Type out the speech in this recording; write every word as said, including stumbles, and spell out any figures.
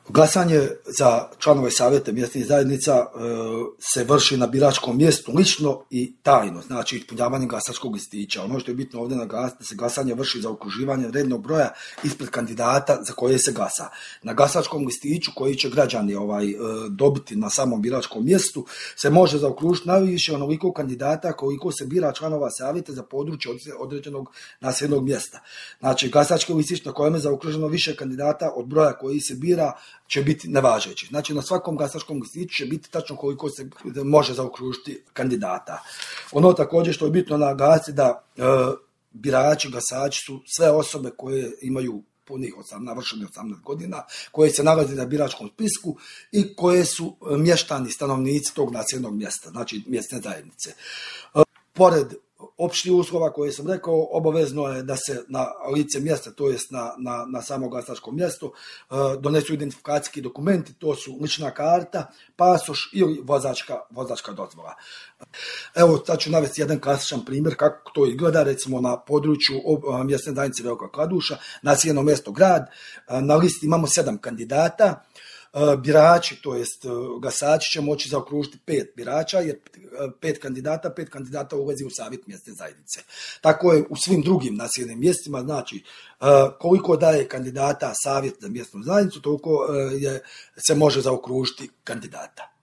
Glasanje za članove savjeta mjesnih zajednica e, se vrši na biračkom mjestu lično i tajno, znači ispunjavanjem glasačkog listića. Ono što je bitno ovdje naglasiti, da se glasanje vrši za okruživanje rednog broja ispred kandidata za koje se glasa. Na glasačkom listiću koji će građani ovaj, e, dobiti na samom biračkom mjestu se može zaokružiti najviše onoliko kandidata koliko se bira članova savjeta za područje određenog naseljenog mjesta. Znači glasački listić na kojem je zaokruženo više kandidata od broja koji se bira će biti nevažeći. Znači na svakom glasačkom listiću će biti tačno koliko se može zaokružiti kandidata. Ono također što je bitno naglasiti da e, birači, glasači su sve osobe koje imaju punih navršenih osamnaest godina, koje se nalaze na biračkom spisku i koje su mještani, stanovnici tog naseljenog mjesta, znači mjesne zajednice. E, pored opštih uslova koje sam rekao, obavezno je da se na lice mjesta, to jest na, na, na samo glasačkom mjestu, donesu identifikacijski dokumenti, to su lična karta, pasoš ili vozačka, vozačka dozvola. Evo, sad ću navesti jedan klasičan primjer kako to izgleda, recimo na području mjesne zajednice Velika Kladuša, naseljeno mjesto grad, na listi imamo sedam kandidata. Birači, to jest glasači će moći zaokružiti pet birača, jer pet kandidata, pet kandidata ulazi u savjet mjesne zajednice. Tako je u svim drugim naseljenim mjestima, znači koliko daje kandidata savjet za mjesnu zajednicu, toliko je, se može zaokružiti kandidata.